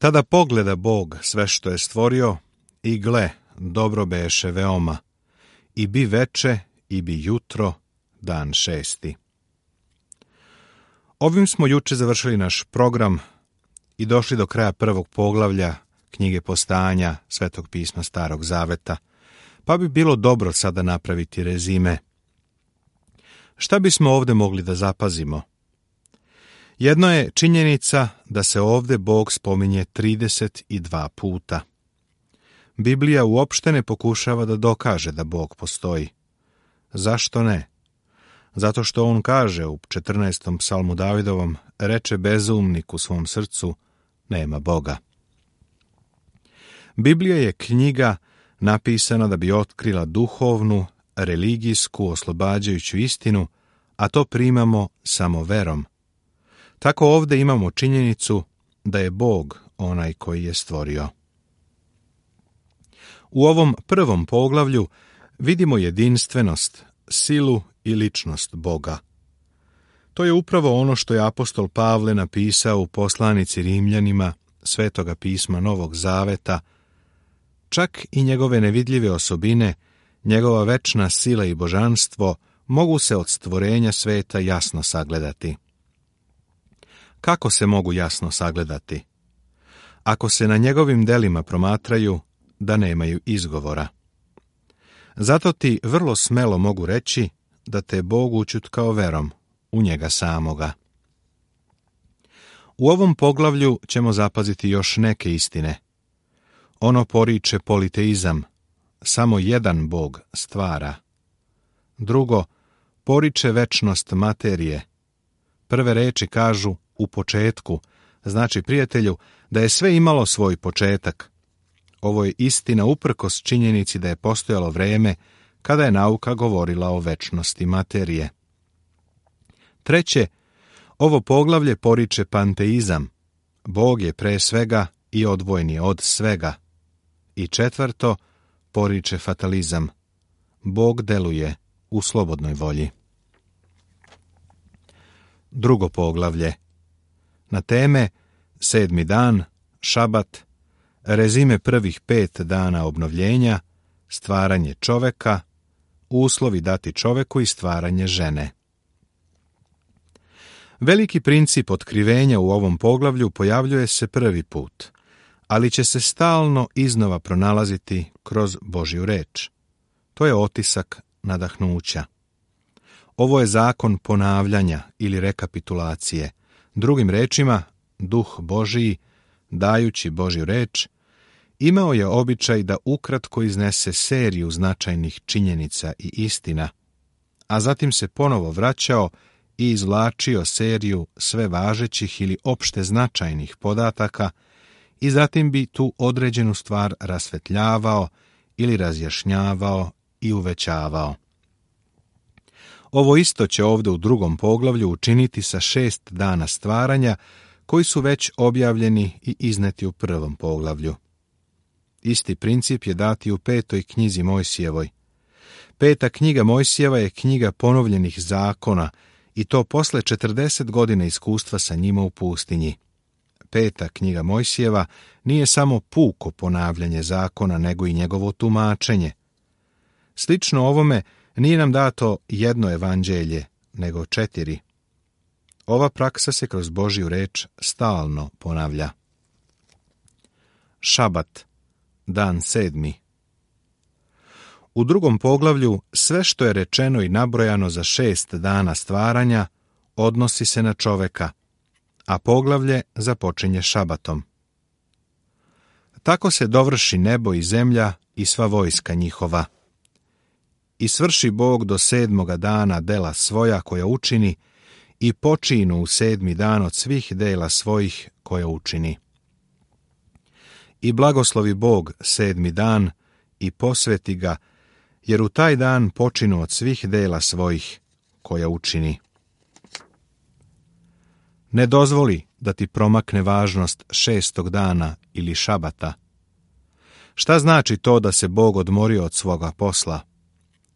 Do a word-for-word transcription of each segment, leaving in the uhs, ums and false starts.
Tada pogleda Bog sve što je stvorio i gle, dobro beše veoma, i bi veče i bi jutro, dan šesti. Ovim smo juče završili naš program i došli do kraja prvog poglavlja knjige Postanja Svetog pisma Starog Zaveta, pa bi bilo dobro sada napraviti rezime. Šta bismo ovdje mogli da zapazimo? Jedno je činjenica da se ovdje Bog spominje trideset dva puta. Biblija uopšte ne pokušava da dokaže da Bog postoji. Zašto ne? Zato što on kaže u četrnaestom psalmu Davidovom, reče bezumnik u svom srcu, nema Boga. Biblija je knjiga napisana da bi otkrila duhovnu, religijsku, oslobađajuću istinu, a to primamo samo verom. Tako ovdje imamo činjenicu da je Bog onaj koji je stvorio. U ovom prvom poglavlju vidimo jedinstvenost, silu i ličnost Boga. To je upravo ono što je apostol Pavle napisao u poslanici Rimljanima Svetoga pisma Novog Zaveta. Čak i njegove nevidljive osobine, njegova večna sila i božanstvo mogu se od stvorenja sveta jasno sagledati. Kako se mogu jasno sagledati? Ako se na njegovim delima promatraju da nemaju izgovora. Zato ti vrlo smelo mogu reći da te Bog učutkao verom u njega samoga. U ovom poglavlju ćemo zapaziti još neke istine. Ono poriče politeizam, samo jedan Bog stvara. Drugo, poriče večnost materije. Prve reči kažu u početku, znači, prijatelju, da je sve imalo svoj početak. Ovo je istina uprkos činjenici da je postojalo vreme kada je nauka govorila o večnosti materije. Treće, ovo poglavlje poriče panteizam. Bog je pre svega i odvojen je od svega. I četvrto, poriče fatalizam. Bog deluje u slobodnoj volji. Drugo poglavlje. Na teme sedmi dan, šabat, rezime prvih pet dana obnovljenja, stvaranje čoveka, uslovi dati čoveku i stvaranje žene. Veliki princip otkrivenja u ovom poglavlju pojavljuje se prvi put, ali će se stalno iznova pronalaziti kroz Božju reč. To je otisak nadahnuća. Ovo je zakon ponavljanja ili rekapitulacije. Drugim rečima, Duh Božiji, dajući Božju reč, imao je običaj da ukratko iznese seriju značajnih činjenica i istina, a zatim se ponovo vraćao i izvlačio seriju sve važećih ili opšte značajnih podataka i zatim bi tu određenu stvar rasvetljavao ili razjašnjavao i uvećavao. Ovo isto će ovdje u drugom poglavlju učiniti sa šest dana stvaranja koji su već objavljeni i izneti u prvom poglavlju. Isti princip je dati u petoj knjizi Mojsijevoj. Peta knjiga Mojsijeva je knjiga ponovljenih zakona i to posle četrdeset godina iskustva sa njima u pustinji. Peta knjiga Mojsijeva nije samo puko ponavljanje zakona, nego i njegovo tumačenje. Slično ovome nije nam dato jedno evanđelje, nego četiri. Ova praksa se kroz Božju reč stalno ponavlja. Šabat, dan sedmi. U drugom poglavlju sve što je rečeno i nabrojano za šest dana stvaranja odnosi se na čoveka, a poglavlje započinje šabatom. Tako se dovrši nebo i zemlja i sva vojska njihova. I svrši Bog do sedmoga dana dela svoja koja učini i počinu u sedmi dan od svih dela svojih koja učini. I blagoslovi Bog sedmi dan i posveti ga, jer u taj dan počinu od svih dela svojih koja učini. Ne dozvoli da ti promakne važnost šestog dana ili šabata. Šta znači to da se Bog odmorio od svoga posla?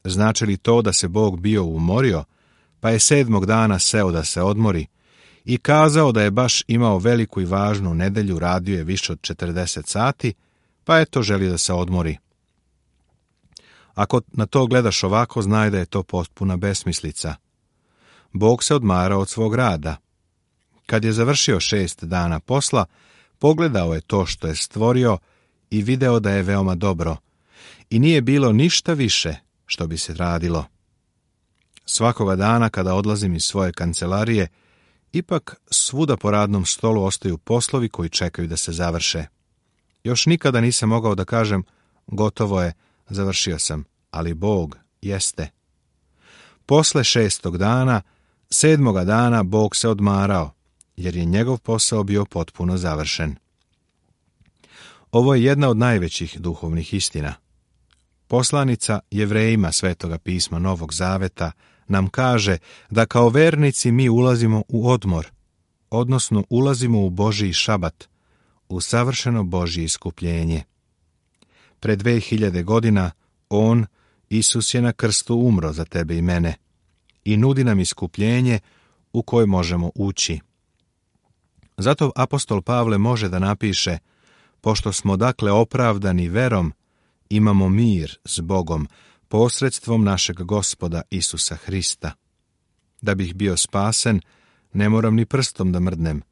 Znači li to da se Bog bio umorio, pa je sedmog dana seo da se odmori, i kazao da je baš imao veliku i važnu nedelju, radio je više od četrdeset sati, pa eto želi da se odmori. Ako na to gledaš ovako, znaj da je to potpuna besmislica. Bog se odmarao od svog rada. Kad je završio šest dana posla, pogledao je to što je stvorio i video da je veoma dobro, i nije bilo ništa više što bi se radilo. Svakoga dana kada odlazim iz svoje kancelarije, ipak svuda po radnom stolu ostaju poslovi koji čekaju da se završe. Još nikada nisam mogao da kažem, gotovo je, završio sam, ali Bog jeste. Posle šestog dana, sedmoga dana Bog se odmarao, jer je njegov posao bio potpuno završen. Ovo je jedna od najvećih duhovnih istina. Poslanica Jevrejima Svetoga pisma Novog Zaveta nam kaže da kao vernici mi ulazimo u odmor, odnosno ulazimo u Božji šabat, u savršeno Božje iskupljenje. Pred dve hiljade godina On, Isus, je na krstu umro za tebe i mene i nudi nam iskupljenje u koje možemo ući. Zato apostol Pavle može da napiše: pošto smo dakle opravdani verom, imamo mir s Bogom posredstvom našeg Gospoda Isusa Hrista. Da bih bio spasen, ne moram ni prstom da mrdnem.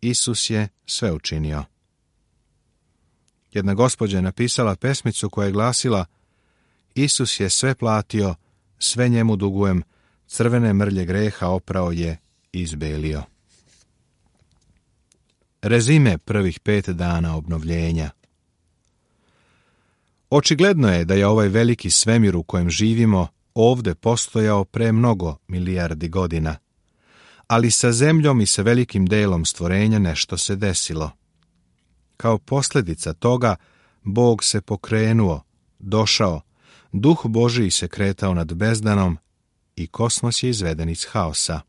Isus je sve učinio. Jedna gospođa je napisala pesmicu koja je glasila: Isus je sve platio, sve njemu dugujem, crvene mrlje greha oprao je i izbelio. Rezime prvih pet dana obnovljenja. Očigledno je da je ovaj veliki svemir u kojem živimo ovde postojao pre mnogo milijardi godina, ali sa zemljom i sa velikim delom stvorenja nešto se desilo. Kao posljedica toga, Bog se pokrenuo, došao, Duh Božiji se kretao nad bezdanom i kosmos je izveden iz haosa.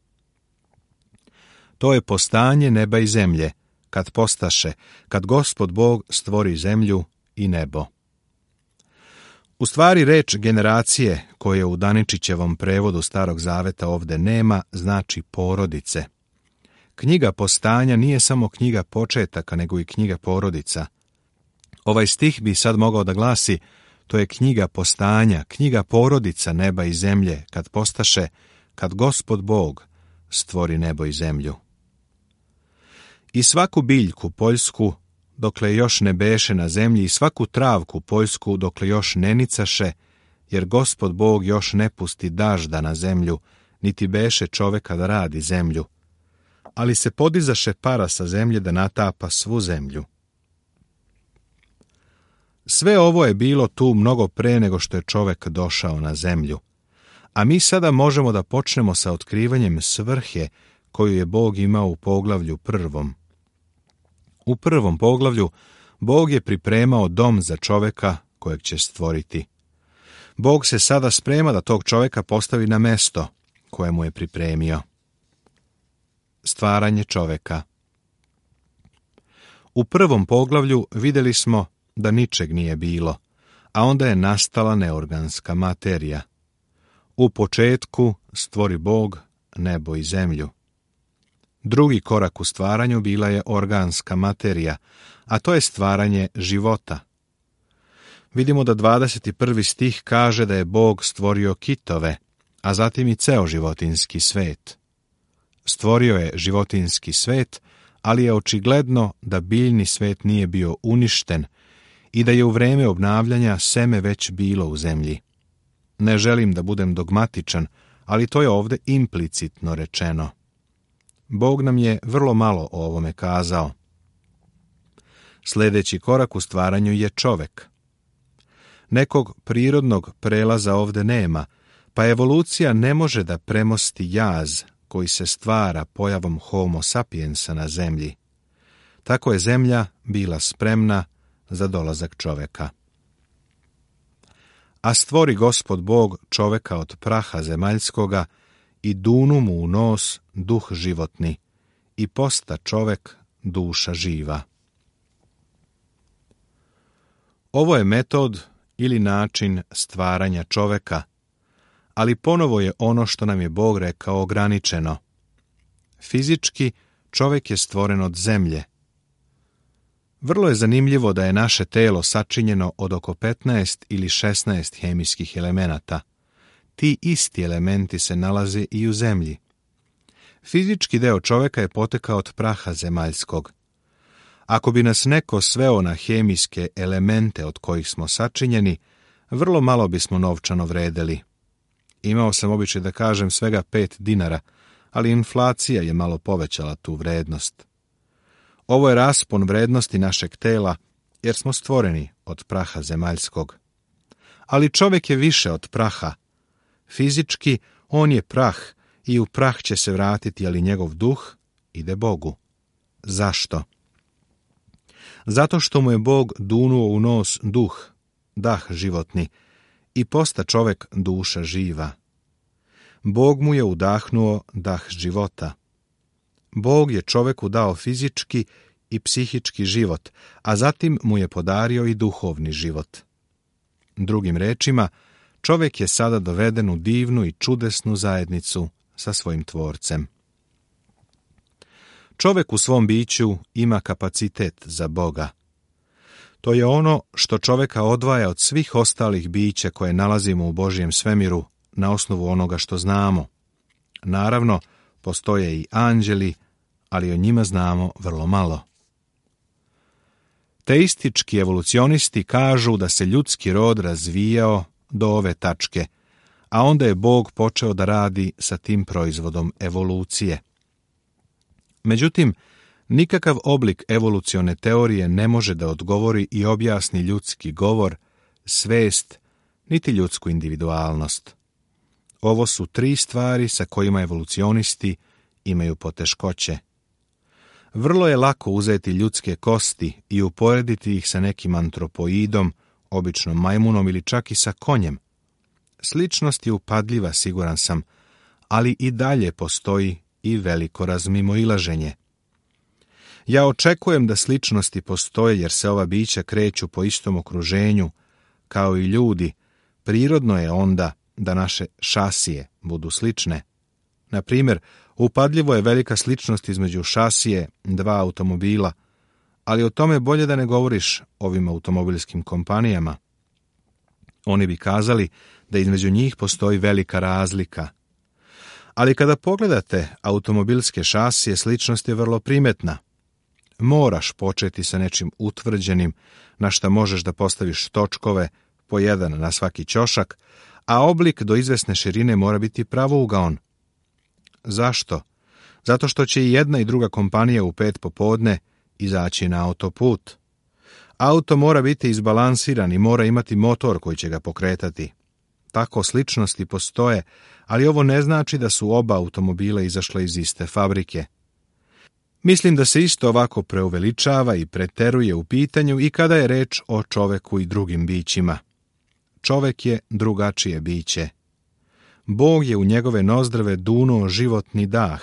To je postanje neba i zemlje, kad postaše, kad Gospod Bog stvori zemlju i nebo. U stvari reč generacije, koje u Daničićevom prevodu Starog Zaveta ovde nema, znači porodice. Knjiga Postanja nije samo knjiga početaka, nego i knjiga porodica. Ovaj stih bi sad mogao da glasi: to je knjiga Postanja, knjiga porodica neba i zemlje, kad postaše, kad Gospod Bog stvori nebo i zemlju. I svaku biljku poljsku, dokle još ne beše na zemlji, i svaku travku poljsku, dokle još ne nicaše, jer Gospod Bog još ne pusti dažda na zemlju, niti beše čoveka da radi zemlju. Ali se podizaše para sa zemlje da natapa svu zemlju. Sve ovo je bilo tu mnogo pre nego što je čovek došao na zemlju, a mi sada možemo da počnemo sa otkrivanjem svrhe koju je Bog imao u poglavlju prvom. U prvom poglavlju Bog je pripremao dom za čoveka kojeg će stvoriti. Bog se sada sprema da tog čoveka postavi na mesto koje mu je pripremio. Stvaranje čoveka. U prvom poglavlju vidjeli smo da ničeg nije bilo, a onda je nastala neorganska materija. U početku stvori Bog nebo i zemlju. Drugi korak u stvaranju bila je organska materija, a to je stvaranje života. Vidimo da dvadeset prvi stih kaže da je Bog stvorio kitove, a zatim i ceo životinjski svet. Stvorio je životinjski svet, ali je očigledno da biljni svet nije bio uništen i da je u vreme obnavljanja seme već bilo u zemlji. Ne želim da budem dogmatičan, ali to je ovde implicitno rečeno. Bog nam je vrlo malo o ovome kazao. Sljedeći korak u stvaranju je čovek. Nekog prirodnog prelaza ovde nema, pa evolucija ne može da premosti jaz koji se stvara pojavom Homo sapiensa na zemlji. Tako je zemlja bila spremna za dolazak čoveka. A stvori Gospod Bog čoveka od praha zemaljskoga i dunu mu u nos duh životni i posta čovek duša živa. Ovo je metod ili način stvaranja čoveka, ali ponovo je ono što nam je Bog rekao ograničeno. Fizički čovjek je stvoren od zemlje. Vrlo je zanimljivo da je naše telo sačinjeno od oko petnaest ili šesnaest hemijskih elemenata. Ti isti elementi se nalaze i u zemlji. Fizički deo čovjeka je potekao od praha zemaljskog. Ako bi nas neko sveo na hemijske elemente od kojih smo sačinjeni, vrlo malo bismo novčano vredeli. Imao sam običaj da kažem svega pet dinara, ali inflacija je malo povećala tu vrednost. Ovo je raspon vrednosti našeg tela, jer smo stvoreni od praha zemaljskog. Ali čovjek je više od praha. Fizički on je prah i u prah će se vratiti, ali njegov duh ide Bogu. Zašto? Zato što mu je Bog dunuo u nos duh, dah životni, i posta čovjek duša živa. Bog mu je udahnuo dah života. Bog je čovjeku dao fizički i psihički život, a zatim mu je podario i duhovni život. Drugim rečima, čovjek je sada doveden u divnu i čudesnu zajednicu sa svojim tvorcem. Čovjek u svom biću ima kapacitet za Boga. To je ono što čovjeka odvaja od svih ostalih bića koje nalazimo u Božjem svemiru na osnovu onoga što znamo. Naravno, postoje i anđeli, ali o njima znamo vrlo malo. Teistički evolucionisti kažu da se ljudski rod razvijao do ove tačke, a onda je Bog počeo da radi sa tim proizvodom evolucije. Međutim, nikakav oblik evolucione teorije ne može da odgovori i objasni ljudski govor, svest, niti ljudsku individualnost. Ovo su tri stvari sa kojima evolucionisti imaju poteškoće. Vrlo je lako uzeti ljudske kosti i uporediti ih sa nekim antropoidom, obično majmunom ili čak i sa konjem. Sličnost je upadljiva, siguran sam, ali i dalje postoji i veliko razmimoilaženje. Ja očekujem da sličnosti postoje jer se ova bića kreću po istom okruženju, kao i ljudi. Prirodno je onda da naše šasije budu slične. Na primjer, upadljivo je velika sličnost između šasije dva automobila, ali o tome bolje da ne govoriš ovim automobilskim kompanijama. Oni bi kazali da između njih postoji velika razlika. Ali kada pogledate automobilske šasije, sličnost je vrlo primetna. Moraš početi sa nečim utvrđenim, na šta možeš da postaviš točkove, po jedan na svaki ćošak, a oblik do izvesne širine mora biti pravougaon. Zašto? Zato što će i jedna i druga kompanija u pet popodne izaći na autoput. Auto mora biti izbalansiran i mora imati motor koji će ga pokretati. Tako sličnosti postoje, ali ovo ne znači da su oba automobila izašle iz iste fabrike. Mislim da se isto ovako preuveličava i preteruje u pitanju i kada je reč o čoveku i drugim bićima. Čovek je drugačije biće. Bog je u njegove nozdrve dunuo životni dah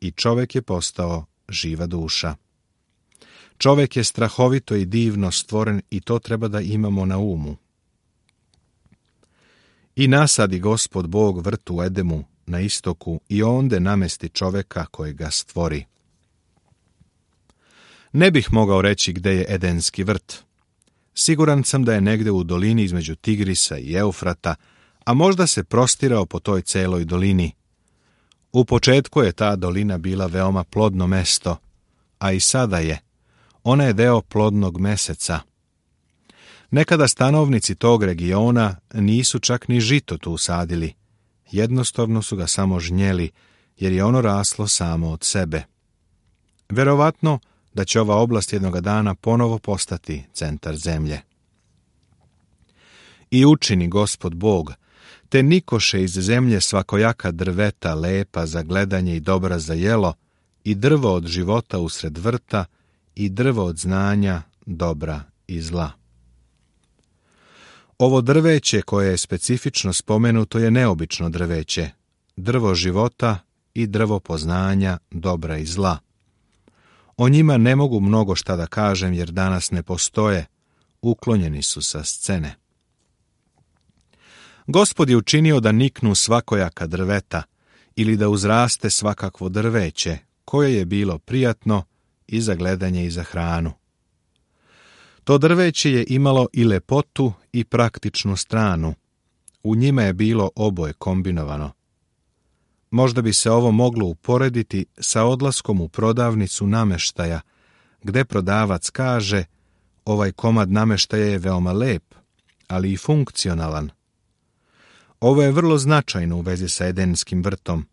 i čovek je postao živa duša. Čovek je strahovito i divno stvoren i to treba da imamo na umu. I nasadi Gospod Bog vrt u Edemu na istoku i onde namesti čoveka koji ga stvori. Ne bih mogao reći gde je Edenski vrt. Siguran sam da je negde u dolini između Tigrisa i Eufrata, a možda se prostirao po toj celoj dolini. U početku je ta dolina bila veoma plodno mesto, a i sada je. Ona je deo plodnog meseca. Nekada stanovnici tog regiona nisu čak ni žito tu sadili. Jednostavno su ga samo žnjeli, jer je ono raslo samo od sebe. Verovatno da će ova oblast jednoga dana ponovo postati centar zemlje. I učini Gospod Bog, te nikoše iz zemlje svakojaka drveta lepa za gledanje i dobra za jelo, i drvo od života usred vrta, i drvo od znanja, dobra i zla. Ovo drveće koje je specifično spomenuto je neobično drveće, drvo života i drvo poznanja, dobra i zla. O njima ne mogu mnogo šta da kažem jer danas ne postoje, uklonjeni su sa scene. Gospod je učinio da niknu svakojaka drveta ili da uzraste svakakvo drveće koje je bilo prijatno i za gledanje i za hranu. To drveće je imalo i lepotu i praktičnu stranu. U njima je bilo oboje kombinovano. Možda bi se ovo moglo uporediti sa odlaskom u prodavnicu nameštaja, gde prodavac kaže: ovaj komad nameštaja je veoma lep, ali i funkcionalan. Ovo je vrlo značajno u vezi sa Edenskim vrtom.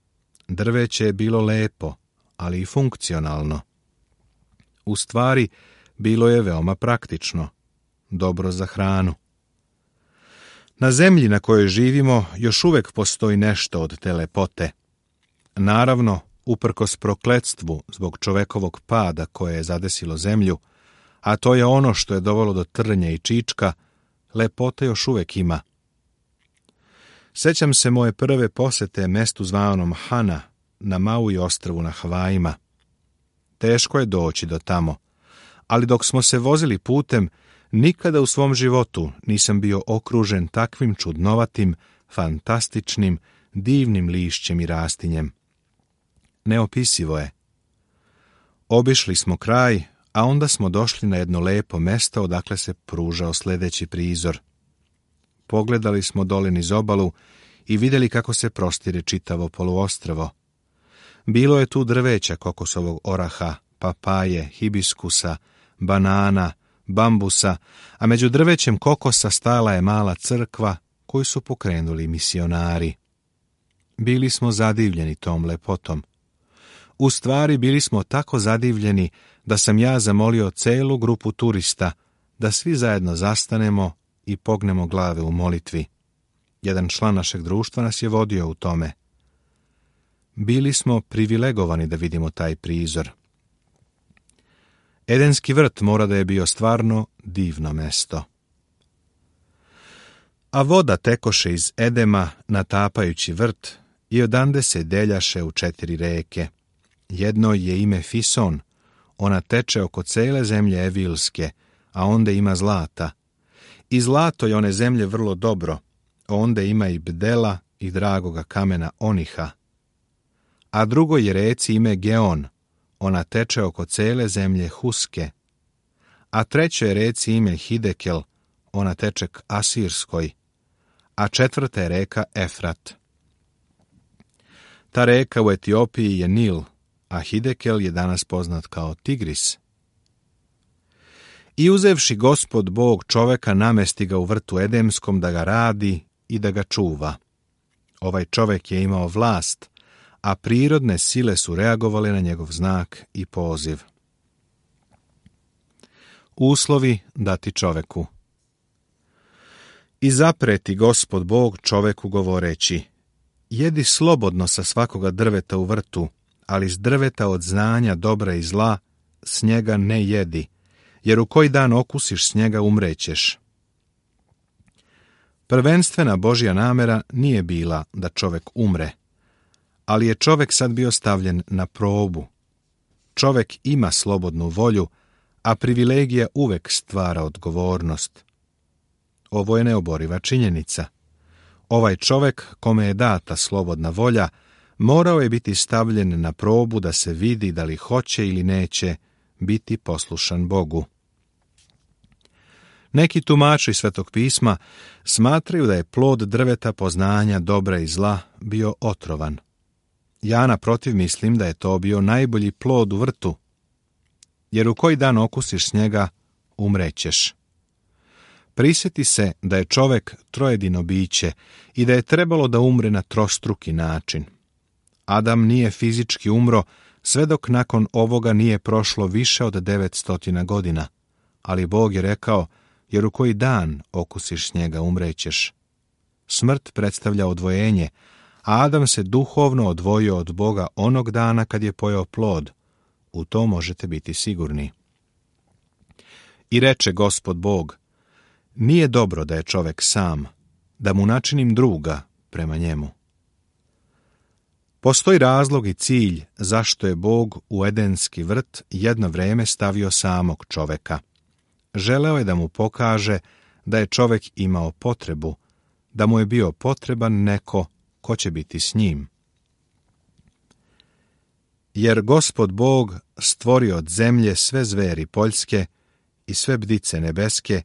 Drveće je bilo lepo, ali i funkcionalno. U stvari, bilo je veoma praktično, dobro za hranu. Na zemlji na kojoj živimo još uvek postoji nešto od te lepote. Naravno, uprkos prokletstvu zbog čovekovog pada koje je zadesilo zemlju, a to je ono što je dovelo do trnja i čička, lepote još uvek ima. Sećam se moje prve posete mestu zvanom Hana na Maui ostrvu na Havajima. Teško je doći do tamo, ali dok smo se vozili putem, nikada u svom životu nisam bio okružen takvim čudnovatim, fantastičnim, divnim lišćem i rastinjem. Neopisivo je. Obišli smo kraj, a onda smo došli na jedno lepo mesto odakle se pružao sljedeći prizor. Pogledali smo dole niz obalu i vidjeli kako se prostire čitavo poluostrvo. Bilo je tu drveća kokosovog oraha, papaje, hibiskusa, banana, bambusa, a među drvećem kokosa stala je mala crkva koju su pokrenuli misionari. Bili smo zadivljeni tom lepotom. U stvari bili smo tako zadivljeni da sam ja zamolio celu grupu turista da svi zajedno zastanemo i pognemo glave u molitvi. Jedan član našeg društva nas je vodio u tome. Bili smo privilegovani da vidimo taj prizor. Edenski vrt mora da je bio stvarno divno mesto. A voda tekoše iz Edema natapajući vrt i odande se deljaše u četiri reke. Jedno je ime Fison, ona teče oko cele zemlje Evilske, a onda ima zlata. I zlato je one zemlje vrlo dobro, onda ima i bdela i dragoga kamena oniha. A drugo je reci ime Geon, ona teče oko cele zemlje Huske. A treće je reci ime Hidekel, ona teče k Asirskoj. A četvrta je reka Efrat. Ta reka u Etiopiji je Nil, a Hidekel je danas poznat kao Tigris. I uzevši Gospod Bog čoveka, namesti ga u vrtu Edemskom da ga radi i da ga čuva. Ovaj čovek je imao vlast, a prirodne sile su reagovale na njegov znak i poziv. Uslovi dati čoveku. I zapreti Gospod Bog čoveku govoreći: jedi slobodno sa svakoga drveta u vrtu, ali s drveta od znanja dobra i zla s njega ne jedi, jer u koji dan okusiš s njega umrećeš. Prvenstvena Božja namera nije bila da čovek umre, ali je čovek sad bio stavljen na probu. Čovek ima slobodnu volju, a privilegija uvek stvara odgovornost. Ovo je neoboriva činjenica. Ovaj čovek, kome je data slobodna volja, morao je biti stavljen na probu da se vidi da li hoće ili neće biti poslušan Bogu. Neki tumači Svetog pisma smatraju da je plod drveta poznanja dobra i zla bio otrovan. Ja naprotiv mislim da je to bio najbolji plod u vrtu, jer u koji dan okusiš s njega, umrećeš. Prisjeti se da je čovek trojedino biće i da je trebalo da umre na trostruki način. Adam nije fizički umro sve dok nakon ovoga nije prošlo više od devetsto godina, ali Bog je rekao: jer u koji dan okusiš s njega, umrećeš. Smrt predstavlja odvojenje, a Adam se duhovno odvojio od Boga onog dana kad je pojeo plod. U to možete biti sigurni. I reče Gospod Bog: nije dobro da je čovek sam, da mu načinim druga prema njemu. Postoji razlog i cilj zašto je Bog u Edenski vrt jedno vreme stavio samog čoveka. Želeo je da mu pokaže da je čovek imao potrebu, da mu je bio potreban neko ko će biti s njim. Jer Gospod Bog stvori od zemlje sve zveri poljske i sve bdice nebeske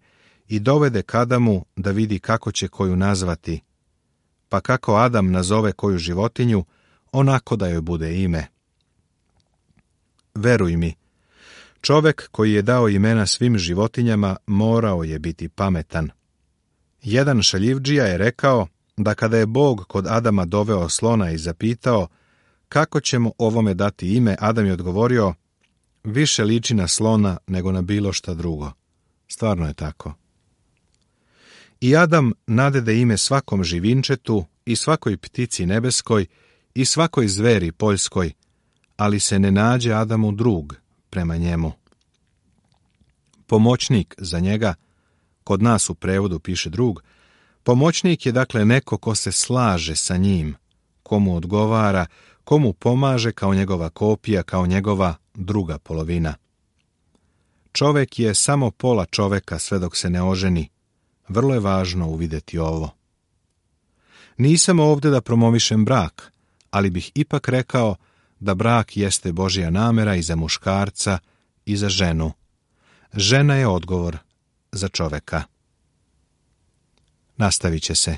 i dovede k Adamu da vidi kako će koju nazvati. Pa kako Adam nazove koju životinju, onako da joj bude ime. Veruj mi, čovek koji je dao imena svim životinjama morao je biti pametan. Jedan šaljivdžija je rekao da kada je Bog kod Adama doveo slona i zapitao kako ćemo ovome dati ime, Adam je odgovorio, više liči na slona nego na bilo šta drugo. Stvarno je tako. I Adam nadede ime svakom živinčetu i svakoj ptici nebeskoj i svakoj zveri poljskoj, ali se ne nađe Adamu drug prema njemu. Pomoćnik za njega, kod nas u prevodu piše drug, pomoćnik je dakle neko ko se slaže sa njim, komu odgovara, komu pomaže kao njegova kopija, kao njegova druga polovina. Čovek je samo pola čoveka sve dok se ne oženi. Vrlo je važno uvidjeti ovo. Nisam ovdje da promovišem brak, ali bih ipak rekao da brak jeste Božja namera i za muškarca i za ženu. Žena je odgovor za čoveka. Nastavit će se.